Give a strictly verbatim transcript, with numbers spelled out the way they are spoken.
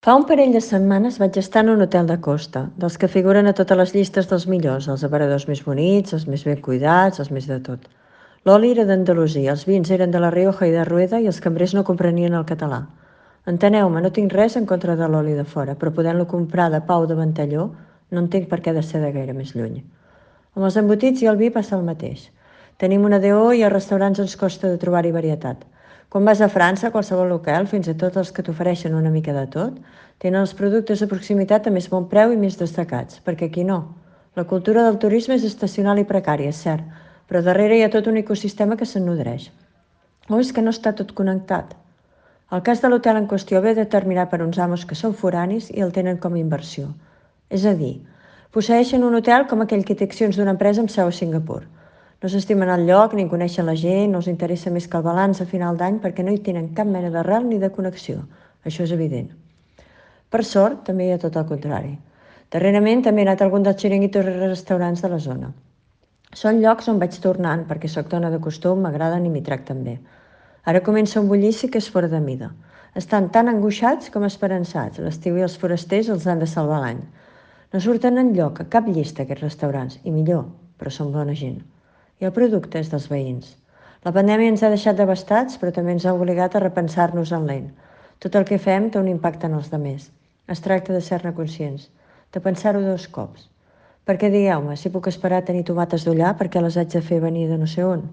Fa un parell de setmanes vaig estar en un hotel de costa, dels que figuren a totes les llistes dels millors, els aparadors més bonics, els més ben cuidats, els més de tot. L'oli era d'Andalusia, els vins eren de la Rioja i de Rueda i els cambrers no comprenien el català. Enteneu-me, no tinc res en contra de l'oli de fora, però podent-lo comprar de Pau de Ventalló, no entenc per què ha de ser de gaire més lluny. Amb els embotits i el vi passa el mateix. Tenim una D O i als restaurants ens costa de trobar-hi varietat. Quan vas a França, a qualsevol local, fins i tot els que t'ofereixen una mica de tot, tenen els productes de proximitat a més bon preu i més destacats, perquè aquí no. La cultura del turisme és estacional i precària, és cert, però darrere hi ha tot un ecosistema que se'n nodreix. O és que no està tot connectat? El cas de l'hotel en qüestió ve determinat per uns amos que són foranis i el tenen com a inversió. És a dir, posseeixen un hotel com aquell que té accions d'una empresa amb seu a Singapur. No s'estimen el lloc, ni coneixen la gent, no els interessa més que el balanç a final d'any perquè no hi tenen cap mena d'arrel ni de connexió. Això és evident. Per sort, també hi ha tot el contrari. Darrerament també he anat a algun dels xiringuitos i restaurants de la zona. Són llocs on vaig tornant, perquè sóc dona de costum, m'agraden i m'hi tracten bé. Ara comença un bullici que és fora de mida. Estan tan angoixats com esperançats. L'estiu i els forasters els han de salvar l'any. No surten enlloc, a cap llista, aquests restaurants. I millor, però són bona gent. I el producte és dels veïns. La pandèmia ens ha deixat devastats, però també ens ha obligat a repensar-nos en lent. Tot el que fem té un impacte en els demés. Es tracta de ser-ne conscients, de pensar-ho dos cops. Perquè digueu-me, si puc esperar a tenir tomates d'ullar perquè les haig de fer venir de no sé on?